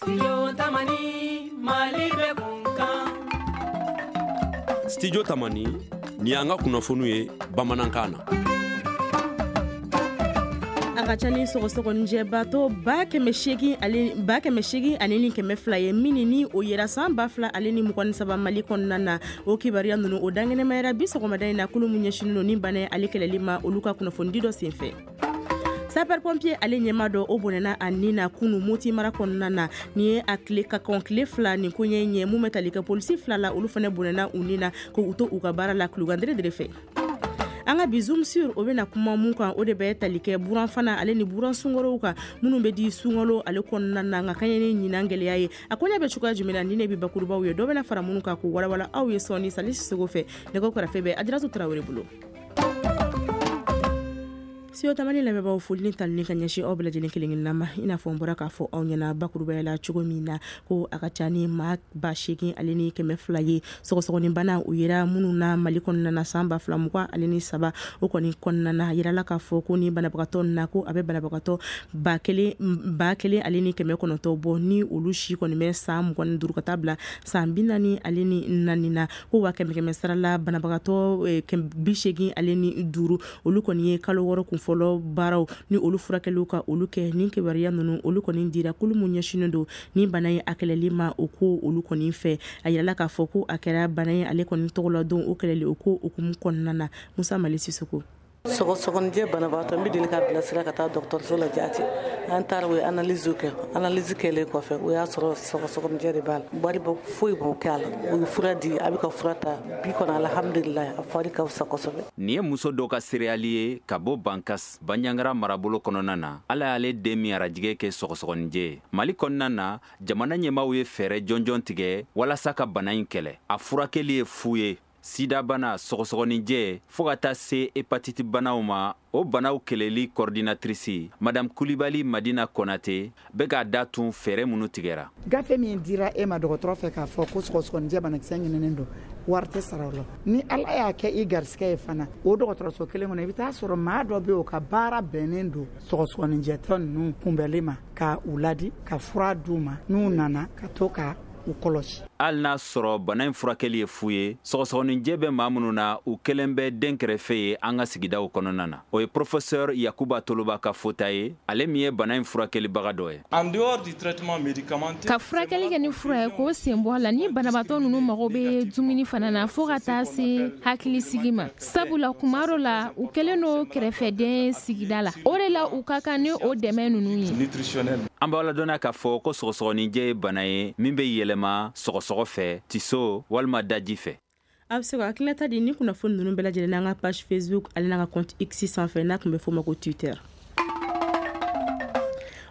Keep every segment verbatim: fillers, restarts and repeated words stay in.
Studio Tamani, Mali bɛ kun kan. Studio Tamani, ni y'an ka kunnafoniw ye bamanankan na. A ka ca ni sɔgɔsɔgɔnijɛbaatɔ ba kɛmɛ seegin ale ba kɛmɛ seegin ani ni kɛmɛ fila ye min ni o yera san ba fila ale ni mugan ni saba Mali kɔnɔna na. O kibaruya ninnu o dankɛnɛmayara bi sɔgɔmada in na kulu min ɲɛsinnen don ni bana ale kɛlɛli ma, olu ka kunnafonidi dɔ senfɛ. Sapeur pompier ale ɲɛma dɔ o bɔnɛna a nin na kunu Moti mara kɔnɔna na. Nin ye a tile ka kɔn tile fila nin ko ɲɛ ɲɛ mun bɛ tali kɛ polisi fila la, olu fana bɔnɛna u nin na ko u to u ka baara la Kulukandere de fɛ. An ka bi zoom sur o bɛna kuma mun kan, o de bɛ tali kɛ buran fana ale ni buran sunkɔrɔw kan minnu bɛ di sunkalo ale kɔnɔna na, nka kaɲɛ ni ɲinan gɛlɛya ye. A koɲɛ bɛ cogoya jumɛn na? Ni ne bɛ bakurubaw ye, dɔ bɛna fara minnu kan k'o walawala aw ye sɔɔni Sali Sisoko fɛ. Nɛgɛw karafe bɛ Adiratu Tarawele bolo. Studio Tamani lamɛnbaaw, foli ni tanuni ka ɲɛsin aw bɛɛ lajɛlen kelen kelenna ma. I n'a fɔ n bɔra k'a fɔ aw ɲɛna bakurubaya la cogo min na, ko a ka ca ni maa ba seegin ale ni kɛmɛ fila ye sɔgɔsɔgɔnibana o yera minnu na Mali kɔnɔna na san ba fila mugan ale ni saba o kɔni kɔnɔna na. A yirala k'a fɔ ko ni banabagatɔ na, ko a bɛ banabagatɔ ba kelen ba kelen ale ni kɛmɛ kɔnɔntɔn bɔ, ni olu si kɔni bɛ san mugan ni duuru ka taa bila san bi naani ale ni naani na. Ko wa kɛmɛ kɛmɛ sara la banabagatɔ bi seegin ale ni duuru olu kɔni ye kalo wɔɔrɔ kun fɔlɔ baaraw ni olu furakɛliw ka olu kɛ. Nin kibaruya ninnu olu kɔni dira kulu mun ɲɛsinnen don ni bana in a kɛlɛli ma, o ko olu kɔni fɛ. A yirala k'a fɔ ko a kɛra bana in ale kɔni tɔgɔ la don o kɛlɛli o ko hukumu kɔnɔna na. Musa Mali Sisoko. Sɔgɔsɔgɔnijɛ banabagatɔ n bɛ deli k'a bilasira ka taa dɔgɔtɔrɔso la jaati. An taara u ye analyse kɛ, analyse kɛlen kɔfɛ o y'a sɔrɔ sɔgɔsɔgɔnijɛ de b'a la. Wari bɔ foyi b'o kɛ a la. U ye fura di, a bɛ ka fura ta bi kɔnɔ, alhamdulilayi, a fari ka fisa kosɛbɛ. Nin ye muso dɔ ka seereyali ye ka bɔ Bankas Banjagara marabolo kɔnɔna na. Ala y'ale den min arajigɛ kɛ sɔgɔsɔgɔnijɛ ye. Mali kɔnɔna na, jamana ɲɛmaaw ye fɛɛrɛ jɔnjɔn tigɛ walasa ka bana in kɛlɛ. A furakɛli ye fu ye. Sidabana, sɔgɔsɔgɔnijɛ, fo ka taa se hépatite banaw ma, o banaw kɛlɛli coordinatrice madame Kulibali Madina Konate bɛ k'a da tun fɛɛrɛ minnu tigɛra. Gafe min dira e ma dɔgɔtɔrɔ fɛ k'a fɔ ko sɔgɔsɔgɔnijɛ banakisɛ ɲininen don, wari tɛ sara o la. Ni Ala y'a kɛ i garisigɛ ye fana, o dɔgɔtɔrɔso kelen kɔnɔ i bɛ taa sɔrɔ maa dɔ bɛ yen, o ka baara bɛnnen don sɔgɔsɔgɔnijɛtɔ ninnu kunbɛnli ma, ka u ladi, ka fura d'u ma, n'u nana ka to ka u kɔlɔsi. Hali n'a sɔrɔ bana in furakɛli ye fu ye, sɔgɔsɔgɔnijɛ bɛ maa minnu na, u kɛlen bɛ den kɛrɛfɛ ye an ka sigidaw kɔnɔna na. O ye professeur Yakuba Toloba ka fota ye, ale min ye bana in furakɛlibaga dɔ ye. En dehors du traitement médicamenteux, ka furakɛli kɛ ni fura ye k'o sen bɔ a la, ni banabaatɔ ninnu mago bɛ dumuni fana na fo ka taa se hakilisigi ma. Sabula kuma dɔ la u kɛlen don kɛrɛfɛden sigida la, o de la u ka kan ni o dɛmɛ ninnu ye. Nutritionnel. An b'aw ladɔnniya k'a fɔ ko sɔgɔsɔgɔnijɛ ye bana ye min bɛ yɛlɛma sɔgɔsɔgɔ fɛ, tiso walima daji fɛ. A bɛ se ka hakilinata di ni kunnafoni ninnu bɛɛ lajɛlen n'an ka page Facebook ale n'an ka compte X sanfɛ n'a tun bɛ f'o ma ko Twitter.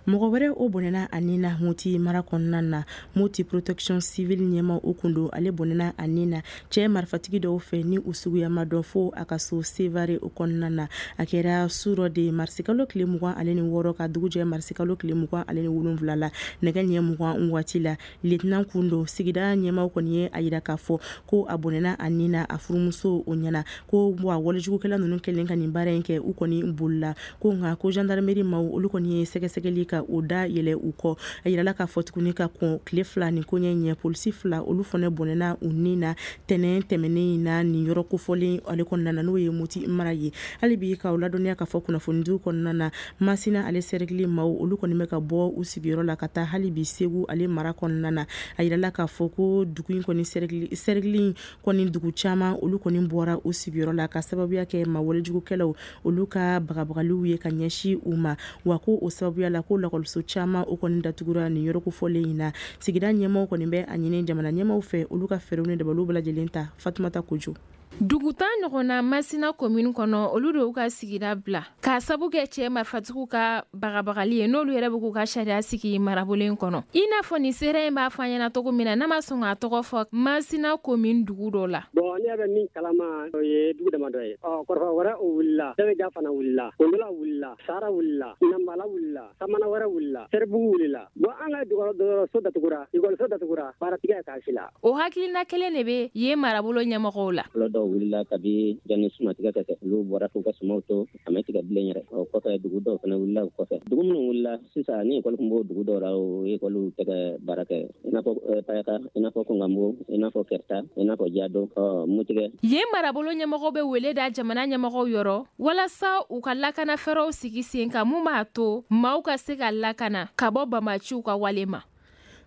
Mɔgɔ wɛrɛ o bɔnɛna a nin na Moti mara kɔnɔna na. Moti protection civile ɲɛma o kun don, ale bɔnɛna a nin na cɛ marifatigi dɔw fɛ ni u suguya ma dɔn fo a ka so Sevare o kɔnɔna na. A kɛra su dɔ de marisikalo tile mugan ale ni wɔɔrɔ ka dugu jɛ marisikalo tile mugan ale ni wolonwula la nɛgɛ ɲɛ mugan waati la. Lieutenant kun don, sigida ɲɛmaw kɔni ye a yira k'a fɔ ko a bɔnɛna a nin na a furumuso o ɲɛna, ko wa walejugukɛla ninnu kɛlen ka nin baara in kɛ u kɔni bolila. Ko nka ko gendarmerie maaw olu kɔni ye sɛgɛsɛgɛli ka o da yɛlɛ u kɔ. A yirala k'a fɔ tuguni ka kɔn tile fila ni koɲɛ ɲɛ, polisi fila olu fana bɔnɛna u nin na tɛnɛn tɛmɛnen in na nin yɔrɔ kofɔlen ale kɔnɔna na, n'o ye Moti mara ye. Hali bi k'aw ladɔnniya k'a fɔ kunnafonidiw kɔnɔna na, Masina ale sɛrɛkili maaw olu kɔni bɛ ka bɔ u sigiyɔrɔ la ka taa hali bi Segu ale mara kɔnɔna na. A yirala k'a fɔ ko dugu in kɔni sɛrɛkili kɔni dugu caman olu kɔni bɔra u sigiyɔrɔ la ka sababuya kɛ maa walejugukɛlaw olu ka bagabagaliw ye ka ɲɛsin u ma. Wa ko o sababuya la ko lakɔliso caman o kɔni datugura nin yɔrɔ kofɔlen in na. Sigida ɲɛmaaw kɔni bɛ a ɲini jamana ɲɛmaaw fɛ olu ka fɛɛrɛw ni dabaliw bɛɛ lajɛlen ta. Fatumata Kojo. Dugu tan ɲɔgɔnna Masina commune kɔnɔ, olu de y'u ka sigida bila k'a sabu kɛ cɛ marifatigiw ka bagabagali ye, n'olu yɛrɛ bɛ k'u ka sariya sigi marabolo in kɔnɔ. I n'a fɔ nin seere in b'a fɔ an ɲɛna cogo min na, n'a ma sɔn k'a tɔgɔ fɔ, Masina commune dugu dɔ la. Bon, ne bɛ min kalama o ye dugu damadɔ ye. Ɔ kɔrɔfɔ wɛrɛ o wulila, Sɛbɛja fana wulila, Kondola wulila, Sara wulila, Nambala wulila, Samana wɛrɛ wulila, Sɛribugu wulila. Bon, an ka dɔgɔtɔrɔso datugura, ekɔliso datugura, baaratigɛ k'a si la. O hakilina kelen de bɛ yen marabolo ɲɛmɔgɔw la. dɔw wulila kabi yanni sumatigɛ ka kɛ, olu bɔra k'u ka sumaw to a ma tigɛ bilen yɛrɛ. O kɔfɛ dugu dɔw fana wulila o kɔfɛ. Dugu minnu wulila sisan ni ekɔli tun b'o dugu dɔw la, o ekɔliw tɛ ka baara kɛ, i n'a fɔ Payaka, i n'a fɔ Konkanbugu, i n'a fɔ Kɛrita, i n'a fɔ Jado, ɔ Mutigɛ. Yen marabolo ɲɛmɔgɔw bɛ wele da jamana ɲɛmɔgɔw yɔrɔ walasa u ka lakana fɛɛrɛw sigi sen kan mun b'a to maaw ka se ka lakana ka bɔ bamaciw ka wale ma.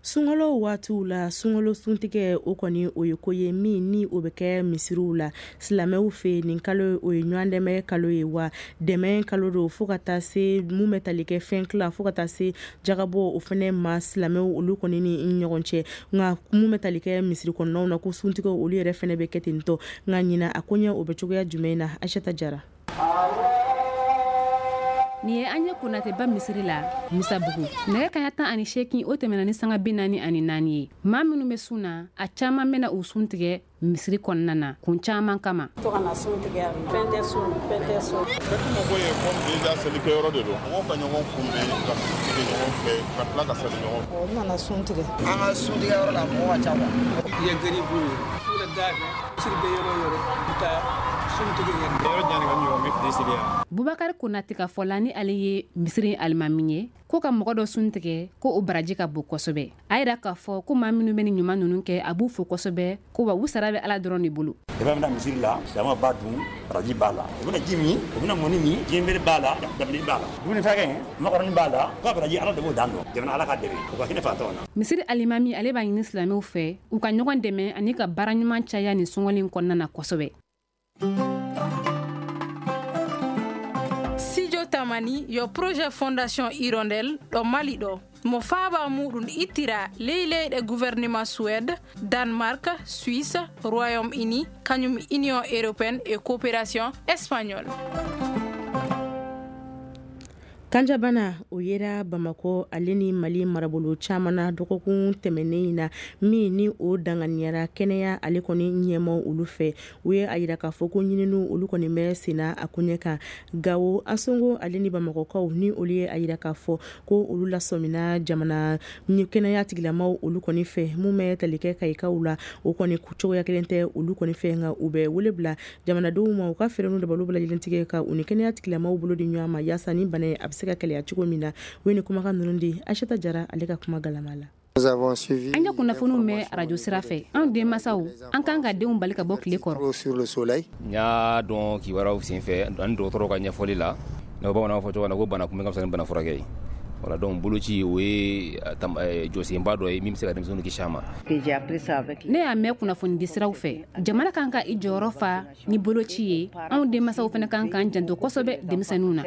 Sunkalo waatiw la, sunkalo suntigɛ o kɔni o ye ko ye min ni o bɛ kɛ misiriw la silamɛw fɛ. Nin kalo o ye ɲɔgɔn dɛmɛ kalo ye, wa dɛmɛ kalo don fo ka taa se mun bɛ tali kɛ fɛn tila fo ka taa se jagabɔ o fana ma silamɛw olu kɔni ni ɲɔgɔn cɛ. Nka mun bɛ tali kɛ misiri kɔnɔnaw na ko suntigɛ olu yɛrɛ fana bɛ kɛ ten tɔ. Nka ɲinan a koɲɛ o bɛ cogoya jumɛn na? Aisata Jara. Nin ye an ye Konatɛba misiri la Musabugu. Nɛgɛ kaɲa tan ani seegin o tɛmɛna ni sanga bi naani ani naani ye. Maa minnu bɛ sun na, a caman bɛna u sun tigɛ misiri kɔnɔna na kun caman kama. To ka na sun tigɛ, fɛn tɛ sun, fɛn tɛ sun. Fɛti mɔgɔ ye comme déjà selikɛyɔrɔ de don. Mɔgɔw ka ɲɔgɔn kunbɛn ka sun tigɛ ɲɔgɔn fɛ ka tila ka sali ɲɔgɔn fɛ. U nana sun tigɛ. An ka sun tigɛyɔrɔ la mɔgɔ ka ca quoi. I ye garibu ye. Su la da fɛ, misiri bɛ yɔrɔ o yɔrɔ, u bɛ taa sun tigɛ yen. Yɔrɔ jan de ka ɲɔgɔn bɛ tile seli yan. Bubakari Konate ka fɔ la ni ale ye misiri alimami ye, ko ka mɔgɔ dɔ sun tigɛ ko o baraji ka bon kosɛbɛ. A yira k'a fɔ ko maa minnu bɛ ni ɲuman ninnu kɛ, a b'u fo kosɛbɛ, ko wa u sara bɛ Ala dɔrɔn de bolo. I bɛ misiri la, silamɛw b'a dun, baraji b'a la. U bɛna ji min, u bɛna mɔni min, jinbere b'a la, dabili b'a la. Dumuni fɛn makɔrɔni b'a la, k'a baraji Ala de b'o dan dɔn. Jamana Ala ka dɛmɛ, u ka hinɛ faatɔw na. Misiri alimami ale b'a ɲini silamɛw fɛ u ka ɲɔgɔn dɛmɛ ani ka baara ɲuman caya nin sunkalo in kɔnɔna na kosɛbɛ. Sijo Tamani yo projet Fondation Hirondelle ɗo Mali ɗo mo faaba muɗum ittira ley leyɗe gouvernement Suède, Danemark, Suisse, Royaume-Uni, kañum Union européenne et coopération espagnole. Kanjabana o yera Bamakɔ ale ni Mali marabolo caman na dɔgɔkun tɛmɛnen in na, min ni o danganiyara kɛnɛya ale kɔni ɲɛmaw olu fɛ. U ye a yira k'a fɔ ko ɲininiw olu kɔni bɛ senna a koɲɛ kan. Gawo Ansongo ale ni Bamakɔkaw ni olu ye a yira k'a fɔ ko olu lasɔmina jamana kɛnɛya tigilamaw olu kɔni fɛ. Mun bɛ tali kɛ Kayikaw la, o kɔni cogoya kelen tɛ olu kɔni fɛ, nka u bɛ wele bila jamanadenw ma u ka fɛɛrɛ n'u dabaliw bɛɛ lajɛlen tigɛ ka u ni kɛnɛya tigilamaw bolo di ɲɔgɔn ma yaasa ni bana a bɛ se ka kɛlɛya cogo min na. U ye nin kumakan ninnu di Aisata Jara ale ka kuma galama la. An ye kunnafoniw mɛn arajo sira fɛ. Anw denmansaw, an kan ka denw bali ka bɔ tile kɔrɔ. N y'a dɔn kibaruyaw senfɛ ani dɔgɔtɔrɔw ka ɲɛfɔli la, n'a bamananw fɔ cogo min na ko bana kunbɛn ka fisa ni bana furakɛ ye. Voilà, donc boloci o ye jɔsenba dɔ ye min bɛ se ka denmisɛnninw kisi a ma. Ne y'a mɛn kunnafonidi siraw fɛ, jamana kan ka i jɔyɔrɔ fa ni boloci ye. Anw denmansaw fana kan k'an janto kosɛbɛ denmisɛnninw na.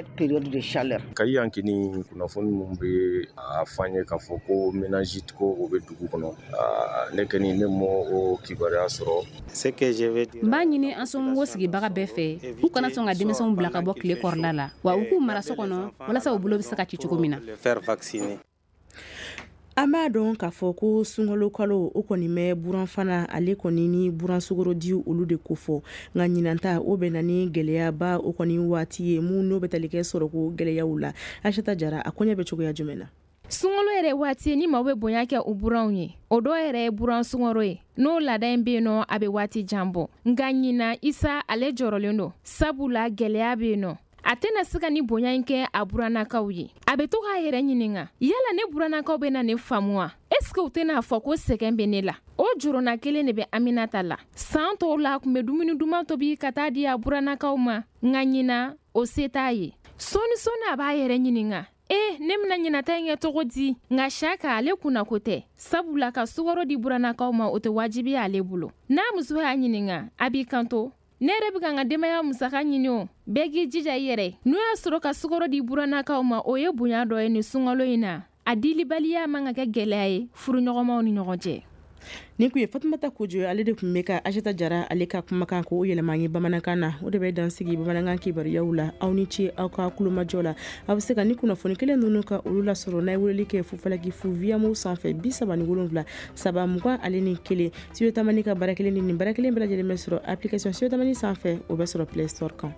Kayi yan kini kunnafoni minnu bɛ a fɔ an ye k'a fɔ ko méningite ko o bɛ dugu kɔnɔ, ne kɔni ne m'o o kibaruya sɔrɔ. N b'a ɲini an somɔgɔw sigibaga bɛɛ fɛ, u kana sɔn ka denmisɛnw bila ka bɔ tile kɔrɔla la, wa u k'u mara so kɔnɔ walasa u bolo bɛ se ka ci cogo min na. An b'a dɔn k'a fɔ ko sunkalo kalo o kɔni bɛ buran fana ale kɔni ni buran sugorodi olu de kofɔ. Nka ɲinanta o bɛ na ni gɛlɛyaba o kɔni waati ye mun n'o bɛ tali kɛ sɔrɔko gɛlɛyaw la. Aisata Jara a koɲɛ bɛ cogoya jumɛn na? Sunkalo yɛrɛ waati ni maaw bɛ bonya kɛ u buranw ye, o dɔw yɛrɛ ye buran sukaro ye. N'o laada in bɛ yen nɔ, a bɛ waati jan bɔ. Nka ɲinan Isa ale jɔrɔlen don, sabula gɛlɛya bɛ yen nɔ. A tɛna se ka ni bonya in kɛ a burannakaw ye. A bɛ to k'a yɛrɛ ɲininka, yala ne burannakaw bɛ na ne faamu wa? Est-ce que u tɛna fɔ ko sɛgɛn bɛ ne la? O jɔrɔna kelen de bɛ Aminata la. San tɔw la a tun bɛ dumuni duman tobi ka taa di a burannakaw ma, nka ɲinan o se t'a ye. Sɔɔni sɔɔni a b'a yɛrɛ ɲininka, ee ne bɛna ɲinata in kɛ cogo di? Nka Saka ale kunnako tɛ, sabula ka sukaro di burannakaw ma o tɛ wajibi ale bolo. N'a muso y'a ɲininka, a b'i kanto, ne yɛrɛ bɛ ka n ka denbaya musaka ɲini o, bɛɛ k'i jija i yɛrɛ. N'o y'a sɔrɔ ka sukaro di burannakaw ma o ye bonya dɔ ye nin sunkalo in na, a dilibaliya man ka kɛ gɛlɛya ye furuɲɔgɔnmaw ni ɲɔgɔn cɛ. Nin kun ye Fatumata Kojo ye, ale de tun bɛ ka Aisata Jara ale ka kumakan k'o yɛlɛma ye bamanankan na. O de bɛ dan sigi bamanankan kibaruyaw la. Aw ni ce aw ka kulomajɔ la. Aw bɛ se ka ni kunnafoni kelen ninnu ka olu lasɔrɔ n'a ye weleli kɛ Fufalaki fu Viyamo sanfɛ bi saba ni wolonwula saba mugan ale ni kelen. Studio Tamani ka baara kelen ni nin baara kelen bɛɛ lajɛlen bɛ sɔrɔ application Studio Tamani sanfɛ, o bɛ sɔrɔ Play Store kan.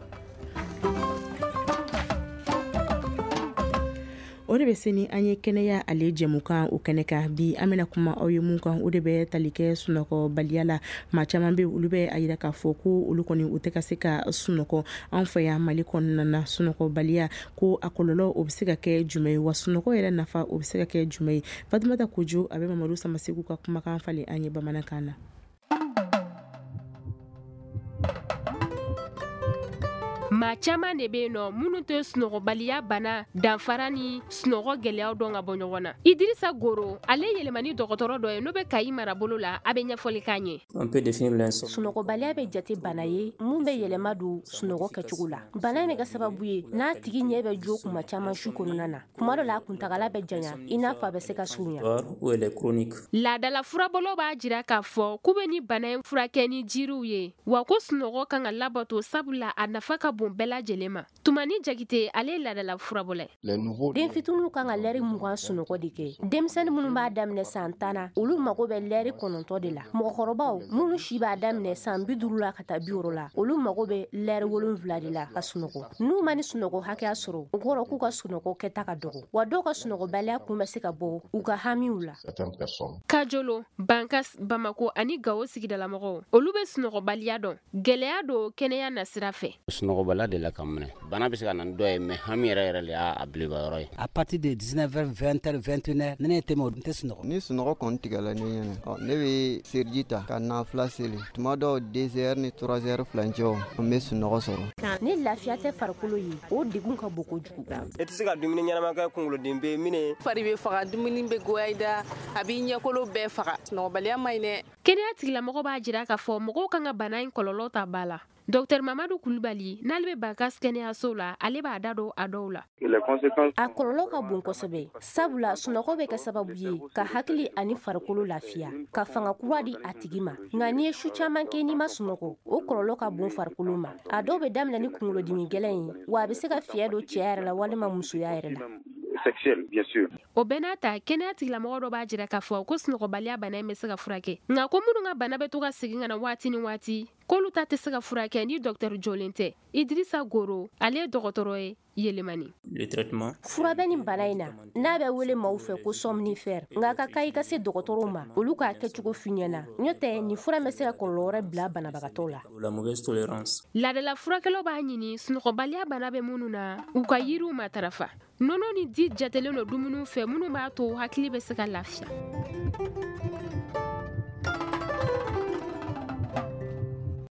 O O de bɛ se ni an ye kɛnɛya ale jɛmukan o kɛnɛ kan. Bi an bɛna kuma aw ye mun kan, o de bɛ tali kɛ sunɔgɔbaliya la. Maa caman bɛ olu bɛ a jira k'a fɔ ko olu kɔni u tɛ ka se ka sunɔgɔ. An fɛ yan Mali kɔnɔna na, sunɔgɔbaliya ko a kɔlɔlɔ o bɛ se ka kɛ jumɛn ye, wa sunɔgɔ yɛrɛ nafa o bɛ se ka kɛ jumɛn ye. Fatumata Kojo a bɛ Mamadu Samasegu ka kumakan falen an ye bamanankan na. Maa caman de bɛ yen nɔ minnu tɛ sunɔgɔbaliya bana danfara ni sunɔgɔ gɛlɛyaw dɔn ka bɔ ɲɔgɔn na. Idirisa Goro, ale yɛlɛmani dɔgɔtɔrɔ dɔ ye n'o bɛ Kayi marabolo la, a bɛ ɲɛfɔli k'an ye. Sunɔgɔbaliya bɛ jate bana ye mun bɛ yɛlɛma don sunɔgɔ kɛcogo la. Bana in bɛ kɛ sababu ye n'a tigi ɲɛ bɛ jo kuma caman su kɔnɔna na. Kuma dɔ la a kuntagala bɛ janya i n'a fɔ a bɛ se ka surunya. Laadala furabɔlaw b'a jira k'a fɔ k'u bɛ ni bana in furakɛ ni jiriw ye, wa ko sunɔgɔ kan ka labato sabula a nafa ka bon bɛɛ lajɛlen ma. Tumani Jakite, ale ye laadala furabɔla ye. Den fitininw kan ka lɛri mugan sunɔgɔ de kɛ. Denmisɛnnin minnu b'a daminɛ san tan na, olu mago bɛ lɛri kɔnɔntɔn de la. Mɔgɔkɔrɔbaw minnu si b'a daminɛ san bi duuru la ka taa bi wɔɔrɔ la, olu mago bɛ lɛri wolonwula de la ka sunɔgɔ. N'u ma ni sunɔgɔ hakɛya sɔrɔ, o kɔrɔ k'u ka sunɔgɔ kɛta ka dɔgɔ. Wa dɔw ka sunɔgɔbaliya kun bɛ se ka bɔ u ka hamiw la. Kajolo, Bankas, Bamako ani Gawo sigidalamɔgɔw, olu bɛ sunɔgɔbaliya dɔn. Gɛlɛya don kɛnɛya nasira fɛ. Sunɔgɔbaliya de la ka minɛ. Bana bɛ se ka na ni dɔ ye, mais hami yɛrɛ yɛrɛ de y'a belebeleba yɔrɔ ye. À partir de dix-neuf heures, vingt heures, vingt et une heures, ne ne tɛ n tɛ sunɔgɔ. Ni sunɔgɔ kɔni tigɛla ne ɲɛna, ne bɛ seliji ta ka nafila seli. Tuma dɔw deux heures ni trois heures furancɛw, n bɛ sunɔgɔ sɔrɔ. Ni lafiya tɛ farikolo ye, o degun ka bon kojugu. E tɛ se ka dumuni ɲɛnama kɛ, kunkolodimi bɛ minɛ. Fari bɛ faga, dumuni bɛ goya i da, a b'i ɲɛkolo bɛɛ faga. Sunɔgɔbaliya man ɲi dɛ. Kɛnɛya tigilamɔgɔ b'a jira k'a fɔ mɔgɔw kan ka bana in kɔlɔlɔ ta ba la. Docteur Mamadu Kulubali, n'ale bɛ Bankas kɛnɛyaso la, ale b'a da don a dɔw la. A kɔlɔlɔ ka bon kosɛbɛ, sabula sunɔgɔ bɛ kɛ sababu ye ka hakili ani farikolo lafiya, ka fanga kura di a tigi ma. Nka n'i ye su caman kɛ n'i ma sunɔgɔ, o kɔlɔlɔ ka bon farikolo ma. A dɔw bɛ daminɛ ni kunkolodimi gɛlɛn ye, wa a bɛ se ka fiɲɛ don cɛ yɛrɛ la walima musoya yɛrɛ la. O bɛɛ n'a ta, kɛnɛya tigilamɔgɔ dɔ b'a jira k'a fɔ ko sunɔgɔbaliya bana in bɛ se ka furakɛ. Nka ko minnu ka bana bɛ to ka segin ka na waati ni waati, k'olu ta tɛ se ka furakɛ ni dɔgɔtɔrɔ jɔlen tɛ. Idirisa Goro, ale ye dɔgɔtɔrɔ ye Yelemani. Fura bɛ nin bana in na, n'a bɛ wele maaw fɛ ko somnifère, nka a ka kan i ka se dɔgɔtɔrɔw ma, olu k'a kɛcogo f'i ɲɛna. N'o tɛ, nin fura bɛ se ka kɔlɔlɔ wɛrɛ bila banabagatɔ la. Laadala furakɛlaw b'a ɲini sunɔgɔbaliya bana bɛ minnu na, u ka yiriw matarafa. Nɔnɔ ni di jatelen don dumuniw fɛ minnu b'a to hakili bɛ se ka lafiya.